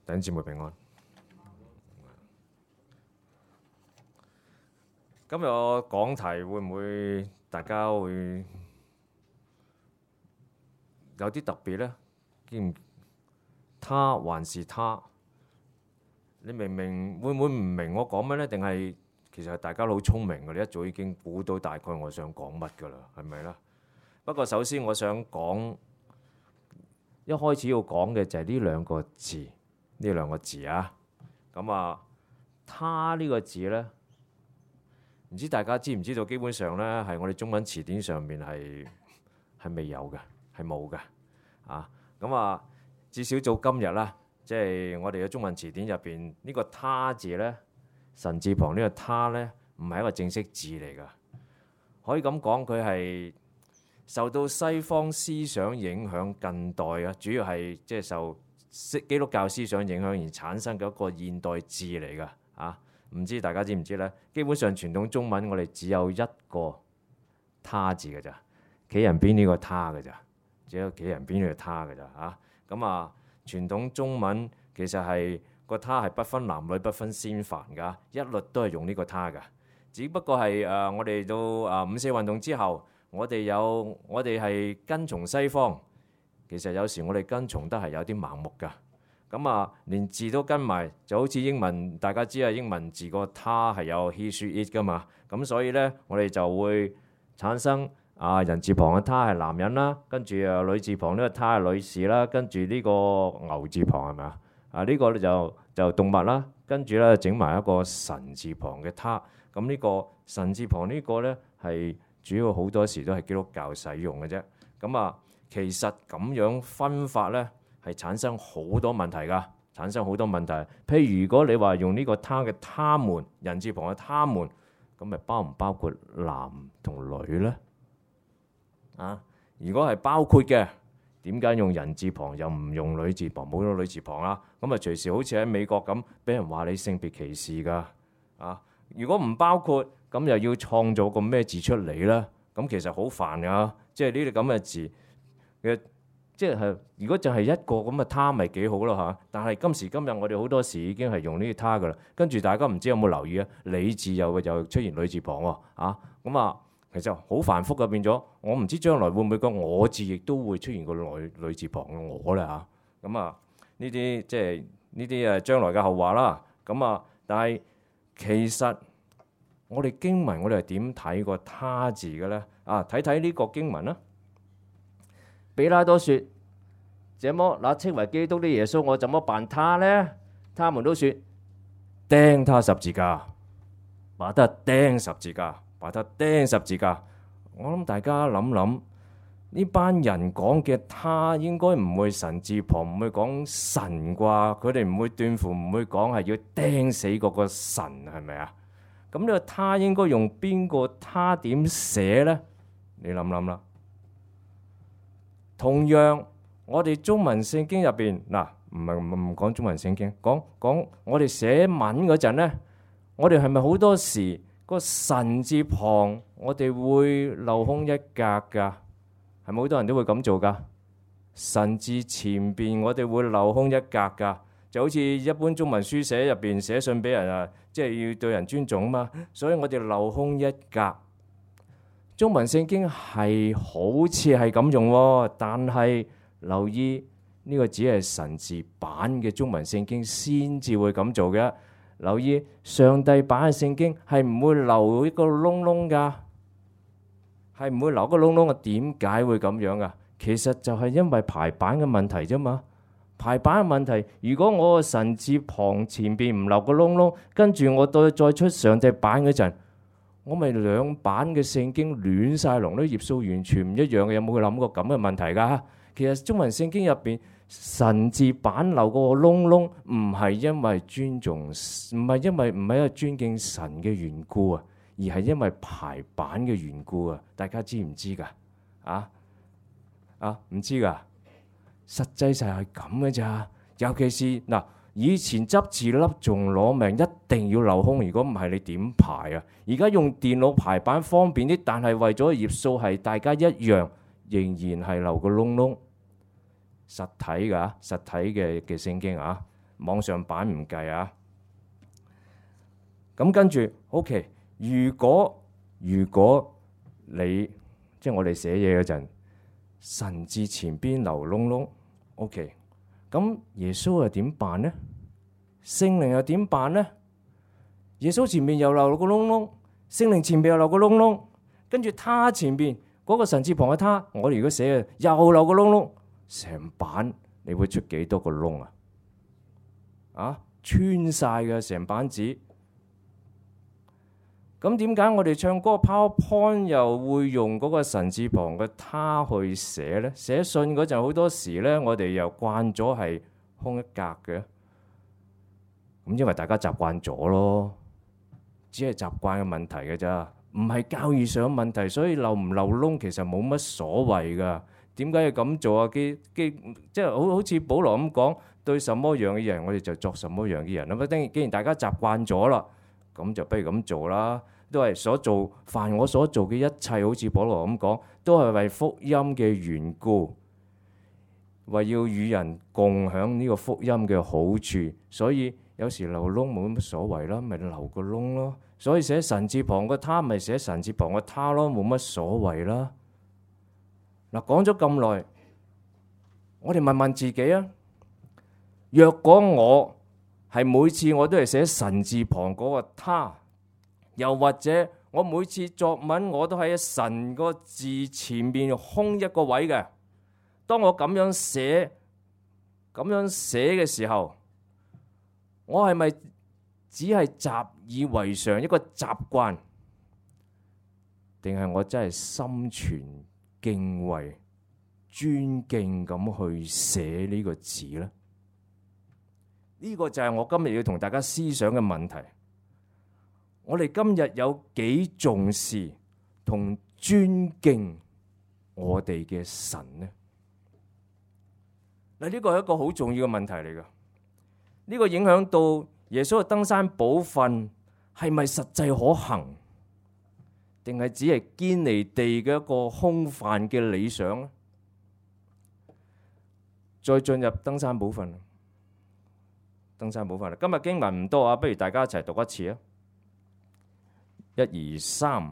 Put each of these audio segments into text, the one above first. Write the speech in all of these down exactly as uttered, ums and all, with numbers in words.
弟兄姊妹平安。今日我講題會唔會大家會有啲特別呢？見他還是他？你明明會唔會唔明我講乜呢？定係其實大家都好聰明嘅，你一早已經估到大概我想講乜㗎啦，係咪啦？不過首先我想講，一開始要講嘅就係呢兩個字，呢兩個字啊。咁啊，他呢個字呢，唔知大家知唔知道？基本上呢，係我哋中文詞典上面係係未有嘅，係冇嘅啊。咁啊，至少到今日啦，即係我哋嘅中文詞典入邊呢個他字呢，神字旁呢個他呢，唔係一個正式字嚟㗎。可以咁講，佢係受到西方思想影響，近代啊，主要係即係受基督教思想影響而產生嘅一個現代字嚟㗎啊。唔知大家知唔知呢？基本上傳統中文我哋只有一個他字㗎咋，企人邊呢個他㗎咋，只有企人邊呢個他㗎咋嚇。咁啊，傳統中文其實係個他係不分男女、不分先凡㗎，一律都係用呢個他㗎。只不過係誒、呃，我哋到誒五四運動之後，我哋有我哋係跟從西方，其實有時我哋跟從得係有啲盲目㗎。咁啊，連字都跟埋，就好似英文，大家知啊，英文字個他係有 he she it 噶嘛。咁所以呢，我哋就會產生啊人字旁嘅他係男人啦，跟住啊女字旁呢個他係女士啦，跟住呢個牛字旁係咪啊？啊呢個咧就就動物啦，跟住咧整埋一個神字旁嘅他。咁呢個神字旁呢個呢，係主要好多時都係基督教使用嘅啫。咁啊，其實咁樣分法呢，係產生好多問題㗎，產生好多問題。譬如如果你話用呢個他嘅他們，人字旁嘅他們，咁咪包唔包括男同女呢？啊，如果係包括嘅，點解用人字旁又唔用女字旁，冇咗女字旁啦？咁啊隨時好似喺美國咁，俾人話你性別歧視㗎。啊，如果唔包括，咁又要創造個咩字出嚟呢？咁其實好煩㗎，即係呢啲咁嘅字嘅。即係如果就係一個咁嘅他咪幾好咯嚇，但係今時今日我哋好多時已經係用呢啲他噶啦，跟住大家唔知有冇留意啊？你字又又出現女字旁喎啊，咁啊其實好繁複嘅變咗，我唔知將來會唔會個我字亦都會出現個女女字旁嘅我啦嚇，咁啊呢啲即係呢啲誒將來嘅後話啦，咁啊但係其實我哋經文我哋係點睇個他字嘅咧？啊睇睇呢個經文啦。比拉多說：這麼那稱為基督的耶穌，我怎麼辦他呢？他們都說：釘他十字架，把他釘十字架，把他釘十字架。我諗大家諗諗，呢班人講嘅他應該唔會神字旁，唔會講神啩？佢哋唔會斷乎唔會講係要釘死嗰個神，係咪啊？咁呢個他應該用邊個他點寫呢？你諗諗啦。同樣，我哋中文聖經入邊嗱，唔係唔講中文聖經，講講我哋寫文嗰陣咧，我哋係咪好多時個神字旁我哋會漏空一格㗎？係咪好多人都會咁做㗎？神字前邊我哋會漏空一格㗎，就好似一般中文書寫入邊寫信俾人啊，即係要對人尊重啊嘛，所以我哋漏空一格。中文聖經係好似係咁用喎，但係留意呢個只係神字版嘅中文聖經先至會咁做嘅。留意上帝版嘅聖經係唔會留一個窿窿㗎，係唔會留個窿窿嘅。點解會咁樣㗎？其實就係因為排版嘅問題啫嘛。排版嘅問題，如果我個神字旁前邊唔留個窿窿，跟住我再再出上帝版嗰陣，我咪兩版嘅聖經亂晒龍，啲頁數完全唔一樣嘅，有冇諗過咁嘅問題㗎？其實中文聖經入邊神字版留個窿窿，唔係因為尊重，唔係因為唔係因為尊敬神嘅緣故啊，而係因為排版嘅緣故啊！大家知唔知㗎？啊啊唔知㗎？實際上係咁嘅咋，尤其是嗱。以前執字粒仲攞命，一定要留空，如果唔係你點排啊？而家用電腦排版方便啲，但係為咗頁數係大家一樣，仍然係留個窿窿。實體㗎，實體嘅嘅聖經啊，網上版唔計啊。咁跟住 OK， 如果如果你即係我哋寫嘢嗰陣，神字前邊留窿窿 OK， 咁耶穌又點辦呢？聖靈又點辦呢？耶穌前面又留個窿窿，聖靈前面又留個窿窿，跟住他前邊嗰個神字旁嘅他，我哋如果寫嘅又留個窿窿，成版你會出幾多個窿啊？啊，穿晒嘅成版紙。咁點解我哋唱歌 PowerPoint 又會用嗰個神字旁嘅他去寫呢？寫信嗰陣好多時呢，我哋又慣咗係空一格嘅。咁因為大家習慣咗咯，只係習慣嘅問題嘅咋，唔係教義上嘅問題，所以漏唔漏窿其實冇乜所謂噶。點解要咁做啊？基基即係好好似保羅咁講，對什麼樣嘅人，我哋就作什麼樣嘅人。咁既然大家習慣咗啦，咁就不如咁做啦。都係所做，凡我所做嘅一切，好似保羅咁講，都係為福音嘅緣故，為要與人共享呢個福音嘅好處。所以有時留窿冇乜所謂啦，咪留個窿咯。所以寫神字旁個他，咪寫神字旁個他咯，冇乜所謂啦。嗱，講咗咁耐，我哋問問自己啊，若果我係每次我都係寫神字旁嗰個他，又或者我每次作文我都喺神個字前面空一個位嘅，當我咁樣寫咁樣寫嘅時候，我係咪只係習以為常一個習慣，定係我真係心存敬畏、尊敬咁去寫呢個字呢？呢個就係我今日要同大家思想嘅問題。我哋今日有幾重視同尊敬我哋嘅神呢？嗱，呢個係一個好重要嘅問題嚟㗎。呢個影響到耶穌嘅登山寶訓係咪實際可行，定係只係堅離地嘅一個空泛嘅理想呢？再進入登山寶訓，登山寶訓。今日經文唔多啊，不如大家一齊讀一次啊！一二三。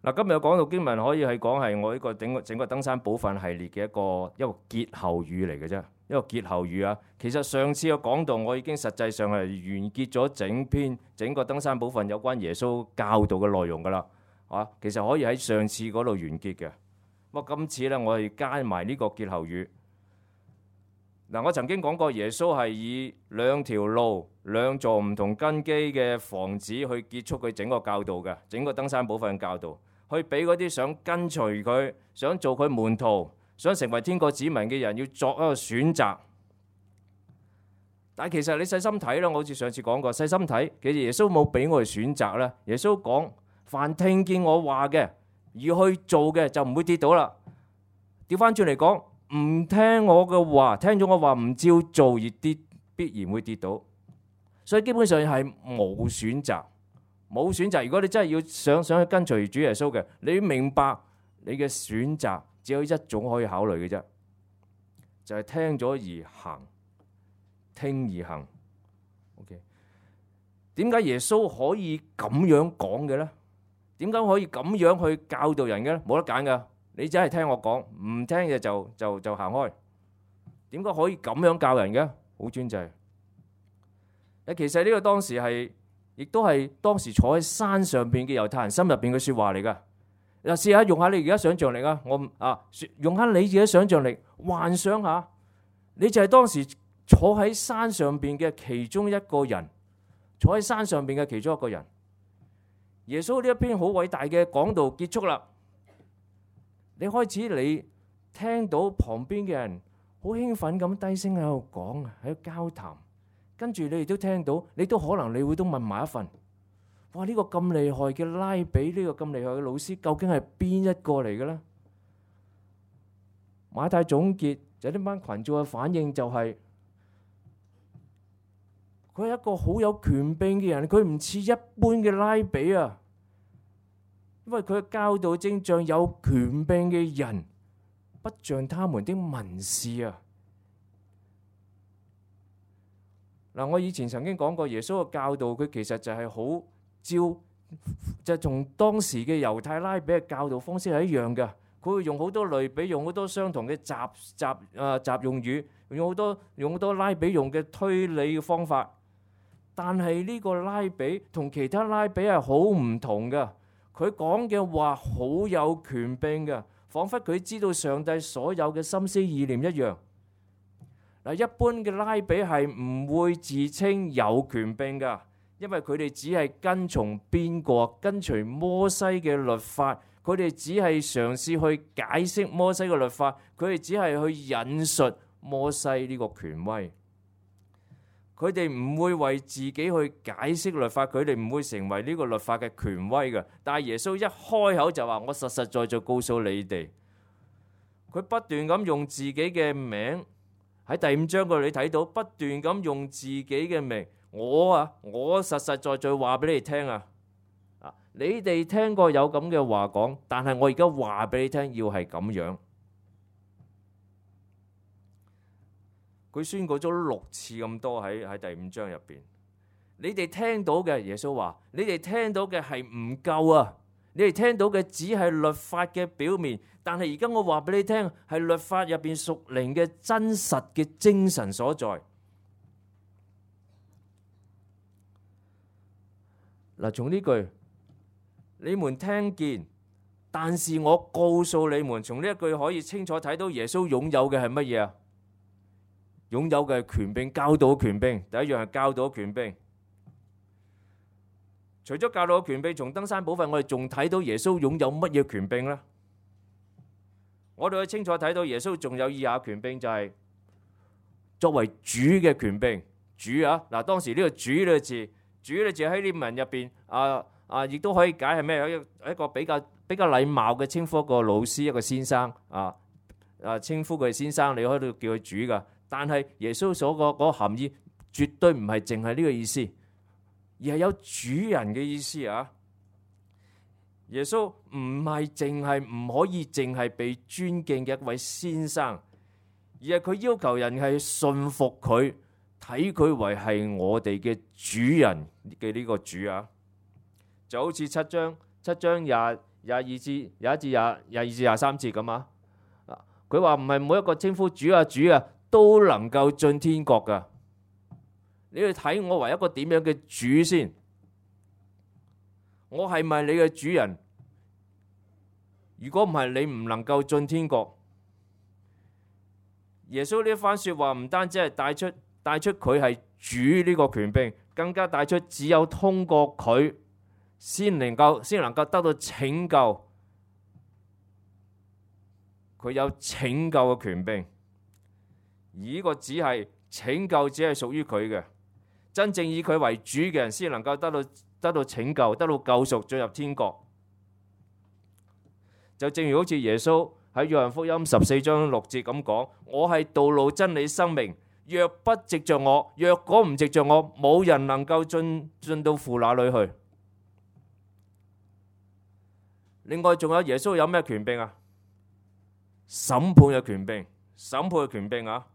嗱，今日講到經文可以係講係我呢個整個整個登山寶訓系列嘅一個一個結後語嚟嘅啫，一個結後語啊。其實上次嘅講道我已經實際上係完結咗整篇整個登山寶訓有關耶穌教導嘅內容㗎啦，啊，其實可以喺上次嗰度完結嘅。不過今次咧，我係加埋呢個結後語。嗱，我曾經講過耶穌係以兩條路、兩座唔同根基嘅房子去結束佢整個教導嘅，整個登山寶訓教導。去俾嗰啲想跟隨佢、想做佢門徒、想成為天國子民嘅人，要作一個選擇。但係其實你細心睇啦，我好似上次講過，細心睇，其實耶穌冇俾我哋選擇啦。耶穌講：凡聽見我話嘅而去做嘅，就唔會跌倒啦。調翻轉嚟講，唔聽我嘅話，聽咗我話唔照做而跌，必然會跌倒。所以基本上係冇選擇。冇選擇。如果你真係要想想去跟隨主耶穌嘅，你要明白你嘅選擇只有一種可以考慮嘅啫，就係聽咗而行，聽而行。OK， 點解耶穌可以咁樣講嘅咧？點解可以咁樣去教導人嘅咧？冇得揀噶，你真係聽我講，唔聽嘅就就就行開。點解可以咁樣教人嘅？好專制。誒，其實呢個當時係。亦都係當時坐喺山上邊嘅猶太人心入邊嘅説話嚟㗎。嗱，試下用下你而家想像力啊！我啊，用下你自己想像力，幻想下，你就係當時坐喺山上邊嘅其中一個人，坐喺山上邊嘅其中一個人。耶穌呢一篇好偉大嘅講道結束啦，你開始你聽到旁邊嘅人好興奮咁低聲喺度講，喺度交談，跟住你亦都聽到，你都可能你會都問埋一份。哇！呢個咁厲害嘅拉比，呢個咁厲害嘅老師，究竟係邊一個嚟嘅呢？馬太總結就呢班群眾嘅反應就係，佢係一個好有權柄嘅人，佢唔似一般嘅拉比啊，因為佢嘅教導正像有權柄嘅人，不像他們的文士啊。嗱，我以前曾經講過，耶穌嘅教導佢其實就係好。照就同當時嘅猶太拉比嘅教導方式係一樣嘅，佢會用好多類比，用好多相同嘅雜雜啊雜用語，用好多用好多拉比用嘅推理嘅方法。但係呢個拉比同其他拉比係好唔同嘅，佢講嘅話好有權柄嘅，彷彿佢知道上帝所有嘅心思意念一樣。嗱，一般嘅拉比係唔會自稱有權柄㗎。因為佢哋只係跟從邊個？跟隨摩西嘅律法，佢哋只係嘗試去解釋摩西嘅律法，佢哋只係去引述摩西呢個權威。佢哋唔會為自己去解釋律法，佢哋唔會成為呢個律法嘅權威嘅。但係耶穌一開口就話：我實實在在告訴你哋，佢不斷咁用自己嘅名，喺第五章嗰度你睇到，不斷咁用自己嘅名。我啊，我實實在在話俾你哋聽啊！啊，你哋聽過有咁嘅話講，但係我而家話俾你聽，要係咁樣。佢宣告咗六次咁多喺喺第五章入邊。你哋聽到嘅，耶穌話：你哋聽到嘅係唔夠啊！你哋聽到嘅只係律法嘅表面，但係而家我話俾你聽，係律法入邊屬靈嘅真實嘅精神所在。嗱，從呢句你們聽見，但是我告訴你們，從呢一句可以清楚睇到耶穌擁有嘅係乜嘢啊？擁有嘅係權柄，教導權柄。第一樣係教導權柄。除咗教導權柄，從登山寶訓我哋仲睇到耶穌擁有乜嘢權柄呢？我哋可以清楚睇到耶穌仲有以下權柄，就係作為主嘅權柄。主啊，嗱，當時呢個主呢個字。主呢字喺呢文入邊，啊啊，亦都可以解係咩？有一個比較比較禮貌嘅稱呼一個老師，一個先生啊啊，稱呼佢先生，你可以叫佢主噶。但係耶穌所個嗰個含義，絕對唔係淨係呢個意思，而係有主人嘅意思啊！耶穌唔係淨係唔可以淨係被尊敬嘅一位先生，而係佢要求人係信服佢。睇佢為係我哋嘅主人嘅呢個主啊，就好似七章七章廿廿二至廿一至廿廿二至廿三節咁啊。佢話唔係每一個稱呼主啊主啊都能夠進天國噶。你去睇我為一個點樣嘅主先，我係咪你嘅主人？如果唔係，你唔能夠進天國。耶穌呢一番說話唔單止係帶出。帶出佢係主呢個權柄，更加帶出只有通過佢先能夠先能夠得到拯救。佢有拯救嘅權柄，而呢個只係拯救，只係屬於佢嘅。真正以佢為主嘅人，先能夠得到得到拯救，得到救贖，進入天國。就正如好似耶穌喺約翰福音十四章六節咁講：我係道路、真理、生命。若不藉着我，若果唔藉着我，冇人能夠進進到父那裏去。另外仲有耶穌有咩權柄啊？審判嘅權柄，審判嘅權柄啊！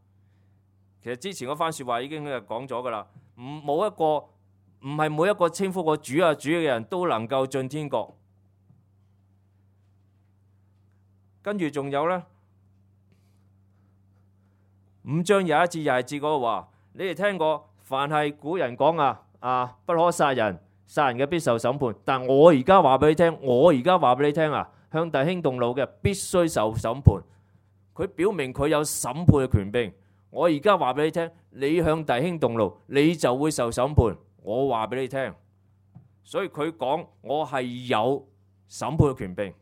其實之前嗰番說話已經講咗噶啦，唔冇一個唔係每一個稱呼過主啊主嘅人都能夠進天國。跟住仲有呢。五章廿一至廿二節嗰個話，你哋聽過，凡係古人講啊，啊不可殺人，殺人嘅必受審判。但我而家話俾你聽，我而家話俾你聽啊，向弟兄動怒嘅，必須受審判。佢表明佢有審判嘅權柄。我而家話俾你聽，你向弟兄動怒，你就會受審判。我話俾你聽，所以佢講我係有審判嘅權柄。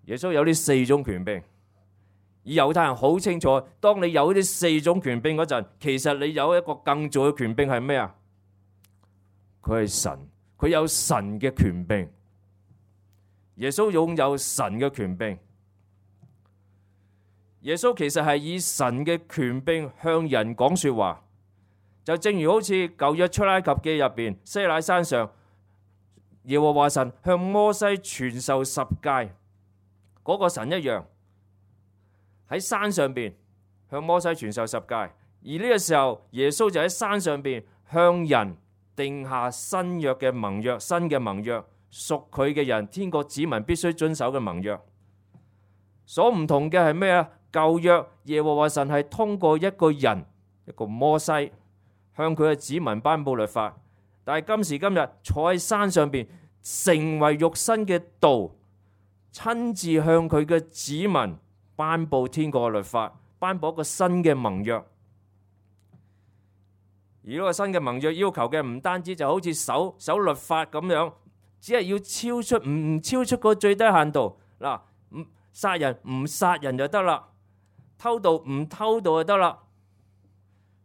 耶穌有呢四種權柄，而猶太人好清楚，當你有呢四種權柄嗰陣，其實你有一個更重要嘅權柄係咩啊？佢係神，佢有神嘅權柄。耶穌擁有神嘅權柄。耶穌其實係以神嘅權柄向人講說話，就正如好似舊約出埃及記入邊，西乃山上耶和華神向摩西傳授十誡嗰個神一樣，喺山上邊向摩西傳授十誡。而呢個時候，耶穌就喺山上邊向人定下新約嘅盟約，新嘅盟約，屬佢嘅人，天國子民必須遵守嘅盟約。所唔同嘅係咩啊？舊約耶和華神係通過一個人，一個摩西向佢嘅子民頒布律法，但係今時今日坐喺山上邊成為肉身嘅道，親自向佢嘅子民頒布天國嘅律法，頒布一個新嘅盟約。而呢個新嘅盟約要求嘅唔單止就好似守守律法咁樣，只係要超出唔唔超出個最低限度。嗱，唔殺人唔殺人就得啦，偷盜唔偷盜就得啦。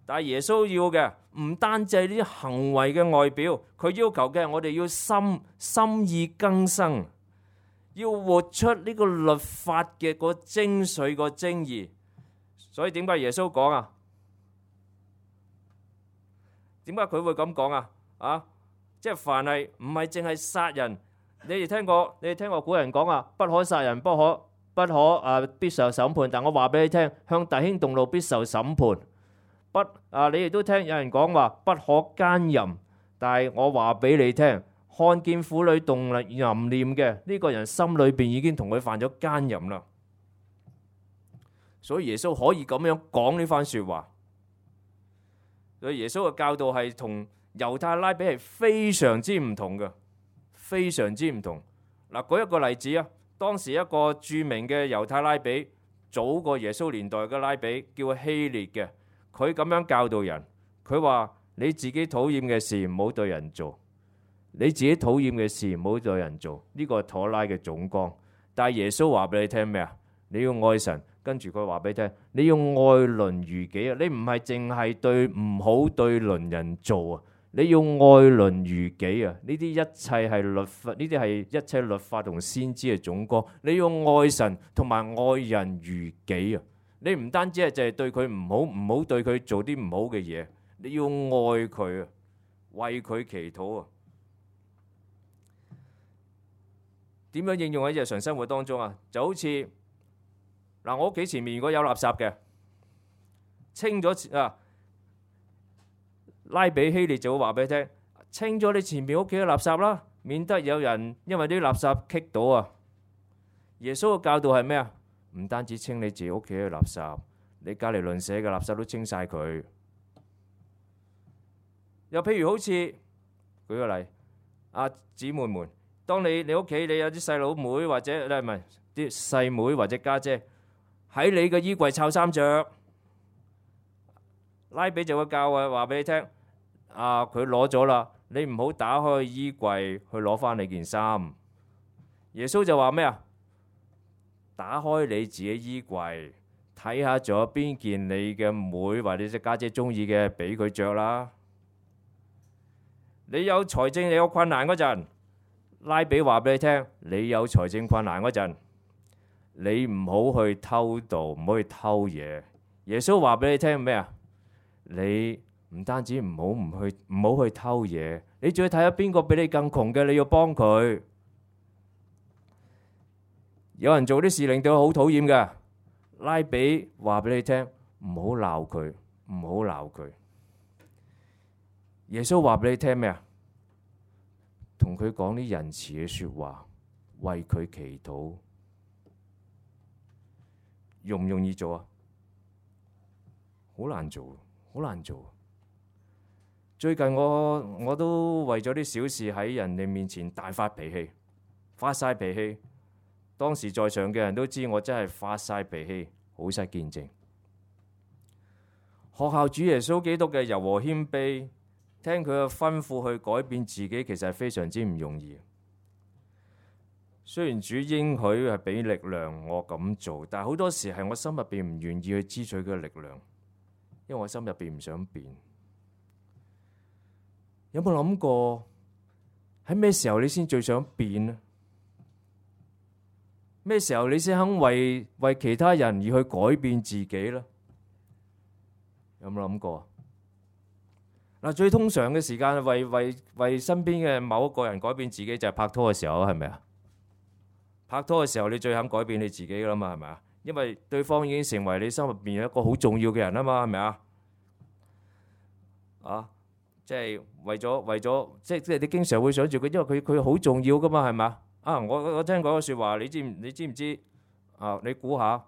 但係耶穌要嘅唔單止係呢啲行為嘅外表，佢要求嘅係我哋要心心意更新，要活出呢個律法嘅個精髓個精義。所以點解耶穌講啊？點解佢會咁講啊？啊，即係凡係唔係淨係殺人，你哋聽過你哋聽過古人講啊，不可殺人，不可不可啊，必受審判。但我話俾你聽，向弟兄動怒必受審判。不啊，你哋都聽有人講話不可奸淫，但係我話俾你聽，看見婦女動淫念嘅呢個人心裏邊已經同佢犯咗奸淫啦。所以耶穌可以咁樣講呢番說話。所以耶穌嘅教導係同猶太拉比係非常之唔同嘅，非常之唔同。嗱，舉一個例子啊，當時一個著名嘅猶太拉比，早過耶穌年代嘅拉比叫希列嘅，佢咁樣教導人，佢話你自己討厭嘅事唔好對人做，你自己討厭嘅事唔好對人做，呢個係妥拉嘅總綱。但係耶穌話俾你聽咩啊？你要愛神。跟住佢話俾你聽，你要愛鄰如己啊！你唔係淨係對唔好對鄰人做啊，你要愛鄰如己啊！呢啲一切係律法，呢啲係一切律法同先知嘅總綱。你要愛神同埋愛人如己啊！你唔單止係淨係對佢唔好，唔好對佢做啲唔好嘅嘢，你要愛佢啊，為佢祈禱啊！點樣應用喺日常生活當中啊？就好似嗱，我屋企前面如果有垃圾嘅，清咗啊，拉比希列就會話俾你聽，清咗你前面屋企嘅垃圾啦，免得有人因為啲垃圾棘到啊。耶穌嘅教導係咩啊？唔單止清你自己屋企嘅垃圾，你隔籬鄰舍嘅垃圾都清晒佢。又譬如好似舉個例，啊姊妹們，當你你屋企你有啲細佬妹或者咧唔係啲細妹或者家姐喺你嘅衣櫃摷衫着，拉比就會教啊，話俾你聽，啊佢攞咗啦，你唔好打開衣櫃去攞翻你件衫。耶穌就話咩啊？打開你自己衣櫃，睇下仲有邊件你嘅妹或者隻家姐中意嘅，俾佢着啦。你有財政你有困難嗰陣，拉比話俾你聽，你有財政困難嗰陣，你唔好去偷盜，唔好去偷嘢。耶穌話俾你聽咩啊？你唔單止唔好唔去唔好去偷嘢，你仲要睇下邊個比你更窮嘅，你要幫佢。有人做啲事令到佢好討厭嘅，拉比話俾你聽，唔好鬧佢，唔好鬧佢。耶穌話俾你聽咩啊？同佢講啲仁慈嘅說話，為佢祈禱。容唔容易做啊？好難做，好難做。最近我我都為咗啲小事喺人哋面前大發脾氣，發晒脾氣。當時在場嘅人都知我真係發晒脾氣，好失見證。學效主耶穌基督嘅柔和謙卑，聽佢嘅吩咐去改變自己，其實係非常之唔容易。雖然主應許係俾力量我咁做，但係好多時係我心入邊唔願意去支取佢嘅力量，因為我心入邊唔想變。有冇諗過喺咩時候你先最想變呢？咩時候你先肯為為其他人而去改變自己呢？有冇諗過？嗱，最通常嘅時間為為為身邊嘅某一個人改變自己就係拍拖嘅時候，係咪啊？拍拖嘅時候你最肯改變你自己噶啦嘛，係咪啊？因為對方已經成為你心入邊一個好重要嘅人啊嘛，係咪啊？啊，即係為咗為咗，即係即係你經常會想住佢，因為佢佢好重要噶嘛，係咪啊？啊，我我聽講個說話，你知唔你知唔知啊？你估下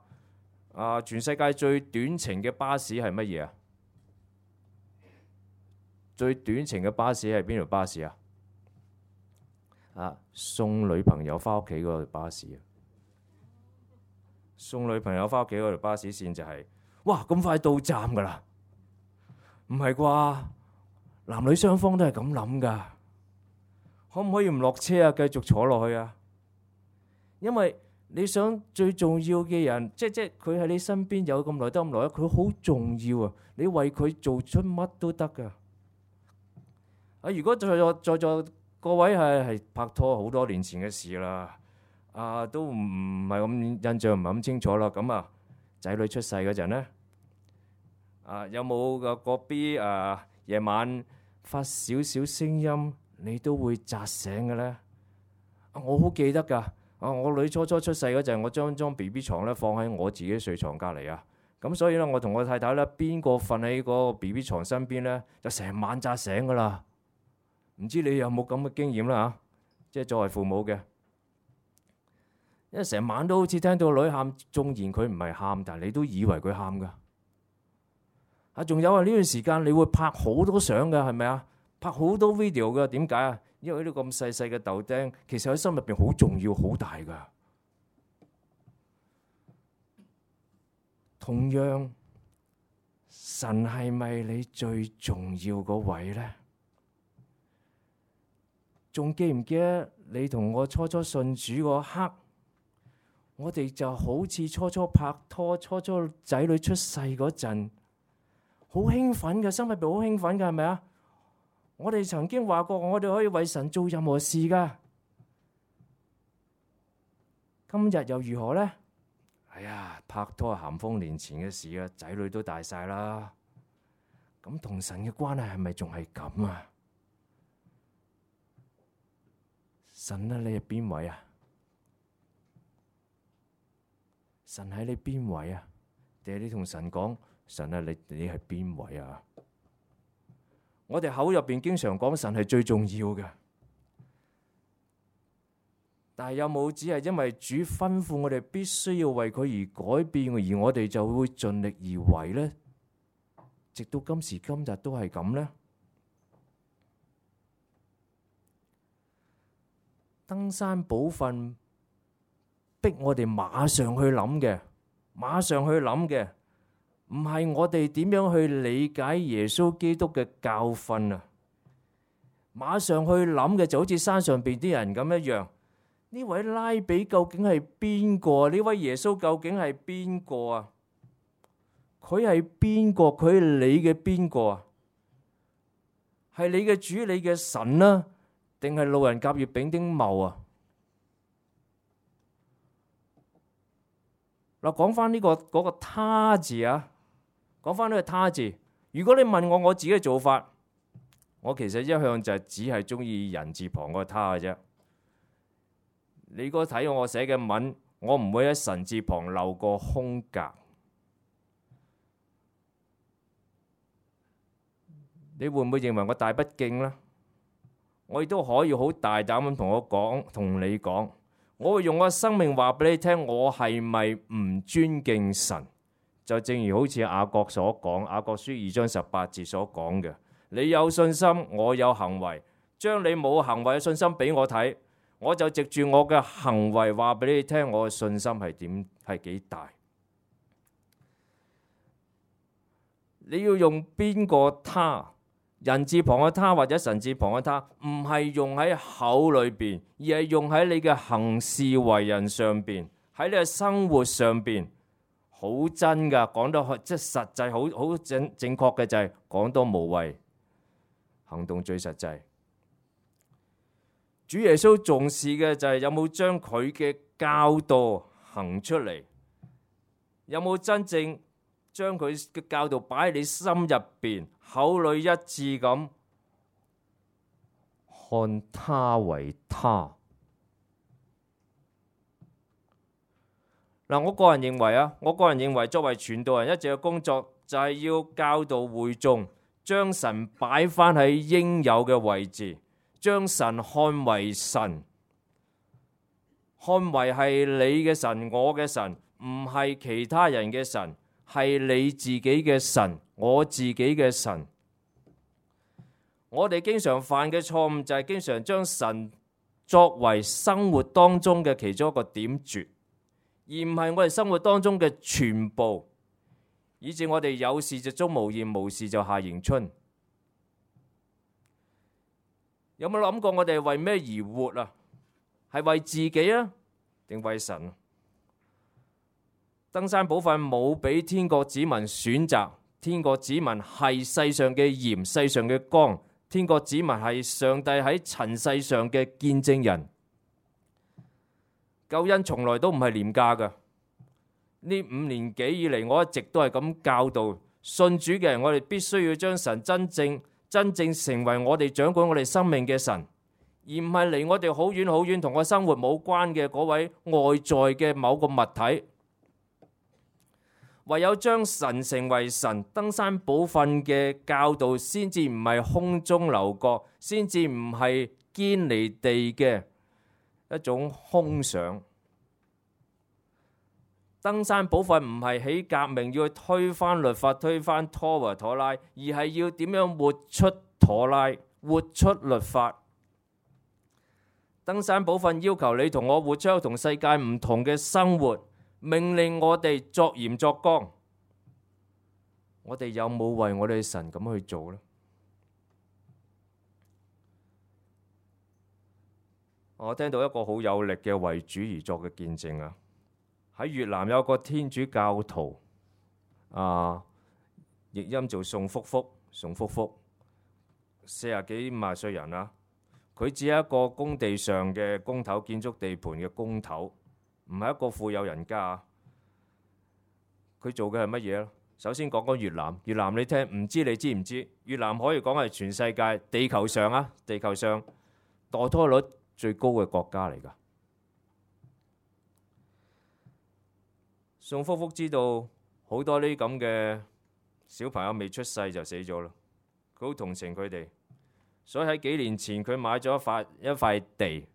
啊？全世界最短程嘅巴士係乜嘢啊？最短程嘅巴士係邊條巴士啊？啊！送女朋友翻屋企嗰條巴士啊！送女朋友翻屋企嗰條巴士線就係、是，哇！咁快到站噶啦？唔係啩？男女雙方都係咁諗噶，可唔可以唔落車啊？繼續坐落去啊？因為你想最重要嘅人，即即佢喺你身邊有咁耐得咁耐，佢好重要啊！你為佢做出乜都得噶。啊！如果在座在座各位係係拍拖好多年前嘅事啦，啊都唔唔係咁印象唔係咁清楚啦。咁啊，仔女出世嗰陣咧，啊有冇個個 B 啊夜晚發少少聲音，你都會扎醒嘅咧？啊，我好記得㗎。啊，我女初初出世嗰陣，我將張 B B 床咧放喺我自己睡床隔離啊。咁所以咧，我同我太太咧，邊個瞓喺嗰個 B B 床身邊咧，就成晚扎醒㗎啦。唔知你有冇咁嘅經驗啦嚇？即係作為父母嘅，因為成晚都好似聽到個女喊，縱然佢唔係喊，但係你都以為佢喊噶。啊，仲有啊，呢段時間你會拍好多相噶，係咪啊？拍好多 video 噶，點解啊？因為呢個咁細細嘅豆丁，其實喺心入邊好重要、好大噶。同樣，神係咪你最重要嗰位咧？仲記唔記得你同我初初信主嗰刻，我哋就好似初初拍拖、初初仔女出世嗰陣，好興奮嘅，心入邊好興奮嘅，係咪啊？我哋曾經話過，我哋可以為神做任何事噶。今日又如何呢？哎呀，拍拖係咸豐年前嘅事啊，仔女都大晒啦。咁同神嘅關係係咪仲係咁啊？神啊，你係邊位啊？神喺你邊位啊？定係你同神講，神啊，你你係邊位啊？我哋口入邊經常講神係最重要嘅，但係有冇只係因為主吩咐我哋必須要為佢而改變，而我哋就會盡力而為呢？直到今時今日都係咁呢？登山寶訓逼我哋馬上去諗嘅，馬上去諗嘅，唔係我哋點樣去理解耶穌基督嘅教訓啊！馬上去諗嘅就好似山上邊啲人咁一樣，呢位拉比究竟係邊個？呢位耶穌究竟係邊個啊？佢係邊個？佢係你嘅邊個啊？係你嘅主，你嘅神啊？定係路人甲、乙、丙、丁、戊啊？嗱，講翻呢個嗰個他字啊，講翻呢個他字。如果你問我我自己嘅做法，我其實一向就係只係中意人字旁個他嘅啫。你如果睇我寫嘅文，我唔會喺神字旁留個空格。你會唔會認為我大不敬呢？我亦都可以好大膽咁同我講，同你講，我會用我嘅生命話俾你聽，我係咪唔尊敬神？就正如好似雅各所講，雅各書二章十八節所講嘅，你有信心，我有行為，將你冇行為嘅信心俾我睇，我就藉住我嘅行為話俾你聽，我嘅信心係點，係幾大。你要用邊個他？人字旁嘅他或者神字旁嘅他，唔係用喺口裏邊，而係用喺你嘅行事為人上邊，喺你嘅生活上邊。好真噶，講得即係實際，好好正正確嘅就係講多無謂，行動最實際。主耶穌重視嘅就係有冇將佢嘅教導行出嚟，有冇真正將佢嘅教導擺喺你心入邊，口裏一致咁看他為他。嗱，我個人認為啊，我個人認為作為傳道人一直嘅工作就係要教導會眾，將神擺翻喺應有嘅位置，將神看為神，看為係你嘅神，我嘅神，唔係其他人嘅神，係你自己嘅神，我自己嘅神。我哋經常犯嘅錯誤就係經常將神作為生活當中嘅其中一個點綴，而唔係我哋生活當中嘅全部，以致我哋有事就鍾無艷，無事就夏迎春。有冇諗過我哋係為咩而活啊？係為自己啊，定為神啊？登山寶訓冇俾天國子民選擇，天國子民係世上嘅鹽，世上嘅光，天國子民係上帝喺塵世上嘅見證人。救恩從來都唔係廉價㗎。呢五年幾以嚟，我一直都係咁教導信主嘅人，我哋必須要將神真正真正成為我哋掌管我哋生命嘅神，而唔係離我哋好遠好遠，同我生活冇關嘅嗰位外在嘅某個物體。唯有將神成為神，登山寶訓嘅教導先至唔係空中樓閣，先至唔係堅離地嘅一種空想。登山寶訓唔係起革命要去推翻律法，推翻拖和妥拉，而係要點樣活出妥拉，活出律法。登山寶訓要求你同我活出同世界唔同嘅生活，命令我哋作鹽作光。我哋有冇為我哋神咁去做呢？我聽到一個好有力嘅為主而作嘅見證啊！喺越南有個天主教徒啊，譯音做宋福福，宋福福四十幾五十歲人啦。佢只係一個工地上嘅工頭，建築地盤嘅工頭，唔係一個富有人家。佢做嘅係乜嘢咧？首先講講越南，越南你聽唔知你知唔知？越南可以講係全世界地球上啊，地球上墮胎率最高嘅國家嚟㗎。宋福福知道好多呢啲咁嘅小朋友未出世就死咗啦，佢好同情佢哋，所以喺幾年前佢買咗一塊一塊地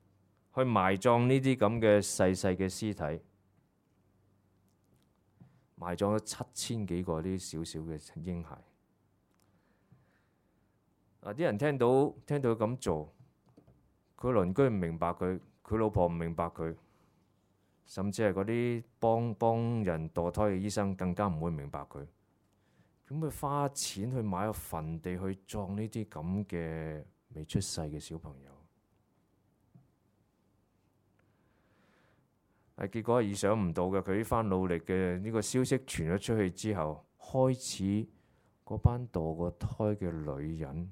去埋葬呢啲咁嘅細細嘅屍體，埋葬咗七千幾個啲小小嘅嬰孩。啊！啲人聽到聽到佢咁做，佢鄰居唔明白佢，佢老婆唔明白佢。甚至係嗰啲幫幫人墮胎嘅醫生更加唔會明白佢。咁佢花錢去買個墳地去葬呢啲咁嘅未出世嘅小朋友，係結果係意想唔到嘅。佢呢番努力嘅呢個消息傳咗出去之後，開始嗰班墮過胎嘅女人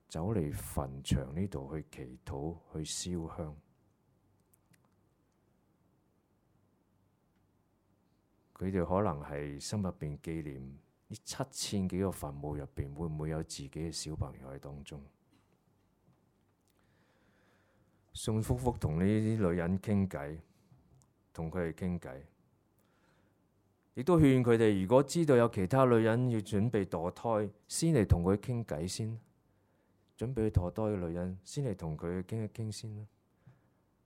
走嚟墳場呢度去祈禱，去燒香。佢哋可能係心入邊紀念呢七千幾個墳墓入邊，會唔會有自己嘅小朋友喺當中？宋福福同呢啲女人傾偈，同佢哋傾偈，亦都勸佢哋，如果知道有其他女人要準備墮胎，先嚟同佢傾偈先。準備去墮胎嘅女人，先嚟同佢傾一傾先啦。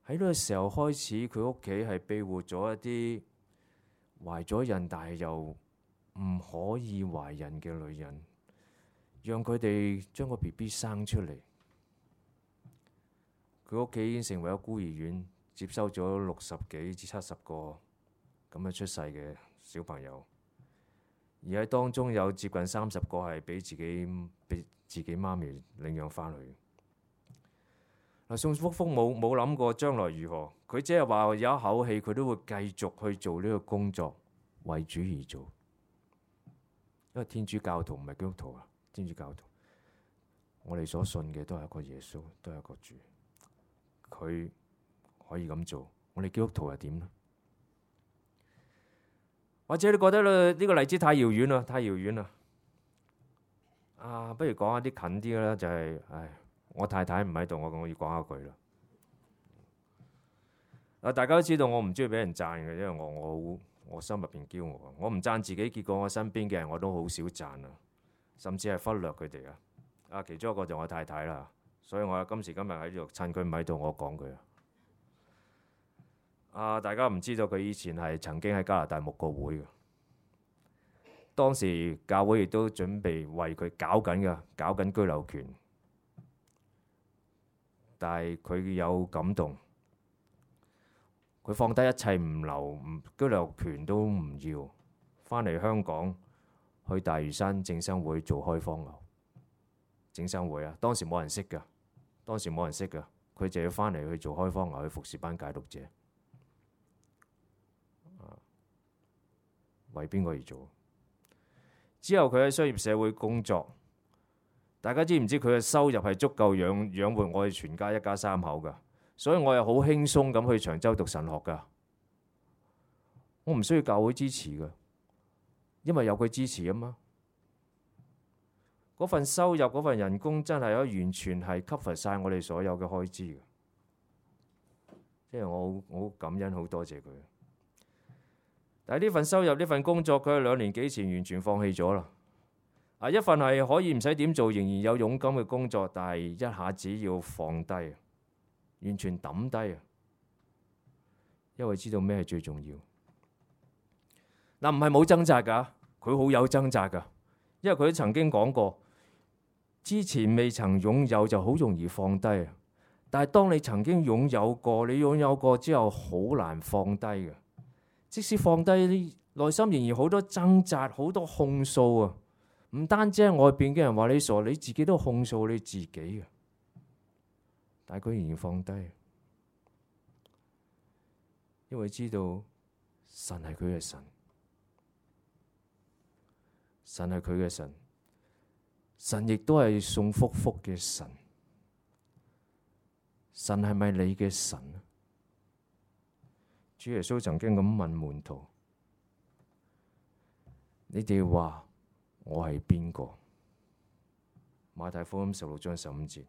喺呢個時候開始，佢屋企係庇護咗一啲懷咗孕但係又唔可以懷孕嘅女人，讓佢哋將個 B B 生出嚟。佢屋企已經成為咗孤兒院，接收咗六十幾至七十個咁樣出世嘅小朋友，而喺當中有接近三十個係俾自己俾自己媽咪領養翻去。嗱，宋福福冇冇諗過將來如何，佢只係話有一口氣，佢都會繼續去做呢個工作，為主而做。因為天主教徒唔係基督徒啊，天主教徒，我哋所信嘅都係一個耶穌，都係一個主，佢可以咁做，我哋基督徒係點呢？或者你覺得咧呢個例子太遙遠啦，太遙遠啦。啊，不如講下啲近啲嘅啦，就係、是，唉，我太太唔喺度，我我要講一句啦。啊，大家都知道我唔中意俾人讚嘅，因為我我我心入邊驕傲，我唔讚自己，結果我身邊嘅人我都好少讚啊，甚至係忽略佢哋啊。啊，其中一個就我太太啦，所以我今時今日喺度趁佢唔喺度，我講佢啊。啊，大家唔知道佢以前係曾經喺加拿大牧過會嘅，當時教會亦都準備為佢搞緊嘅，搞緊居留權，但係佢有感動。佢放低一切唔留，居留權都唔要，翻嚟香港去大嶼山正生會做開荒牛。正生會啊，當時冇人識㗎，當時冇人識㗎，佢就要翻嚟去做開荒牛，去服侍班戒毒者。啊，為邊個而做？之後佢喺商業社會工作，大家知唔知佢嘅收入係足夠養養活我哋全家一家三口㗎？所以我又好輕鬆咁去長洲讀神學㗎，我唔需要教會支持㗎，因為有佢支持啊嘛。嗰份收入、嗰份人工真係可以完全係 cover 晒我哋所有嘅開支嘅，即係我好我好感恩，好多謝佢。但係呢份收入、呢份工作，佢喺兩年幾前完全放棄咗啦。啊，一份係可以唔使點做，仍然有佣金嘅工作，但係一下子要放低。完全抌低啊！因為知道咩係最重要。嗱，唔係冇掙扎㗎，佢好有掙扎㗎。因為佢曾經講過，之前未曾擁有就好容易放低啊。但係當你曾經擁有過，你擁有過之後好難放低嘅。即使放低，內心仍然好多掙扎，好多控訴啊。唔單止係外邊嘅人話你傻，你自己都控訴你自己嘅。但係佢仍然放低，因為知道神係佢嘅神，神係佢嘅神，神亦都係送福福嘅神。神係咪你嘅神？主耶穌曾經咁問門徒：你哋話我係邊個？馬太福音十六章十五節，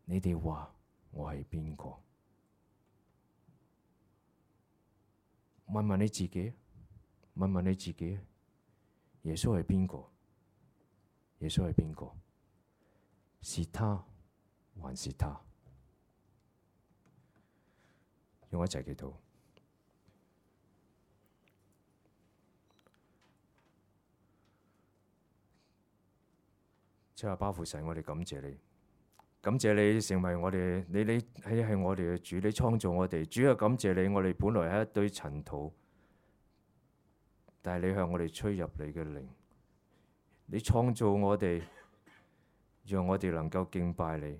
你哋話我係邊個？問問你自己，問問你自己，耶穌係邊個？耶穌係邊個？是他還是他？讓我一齊祈禱。即係包父神，我哋感謝你。感謝你成為我哋，你你係係我哋嘅主，你創造我哋。主啊，感謝你，我哋本來係一堆塵土，但係你向我哋吹入你嘅靈，你創造我哋，讓我哋能夠敬拜你。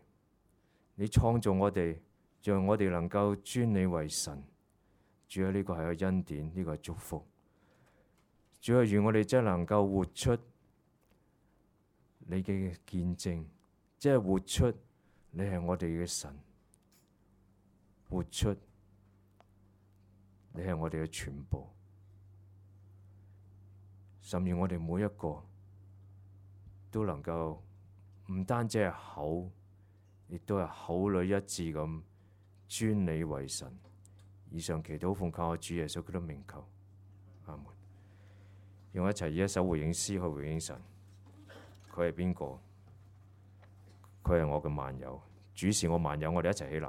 你創造我哋，讓我哋能夠尊你為神。主啊，呢個係個恩典，呢個係祝福。主啊，願我哋真係能夠活出你嘅見證，即係活出你係我哋嘅神，活出你係我哋嘅全部，甚至我哋每一個都能夠唔單止係口，亦都係口裏一致咁尊你為神。以上祈禱奉靠我主耶穌基督名求，阿門。用一齊以一首回應詩去回應神。佢係邊個？佢係我嘅萬有，主是我萬有，我哋一齊起立。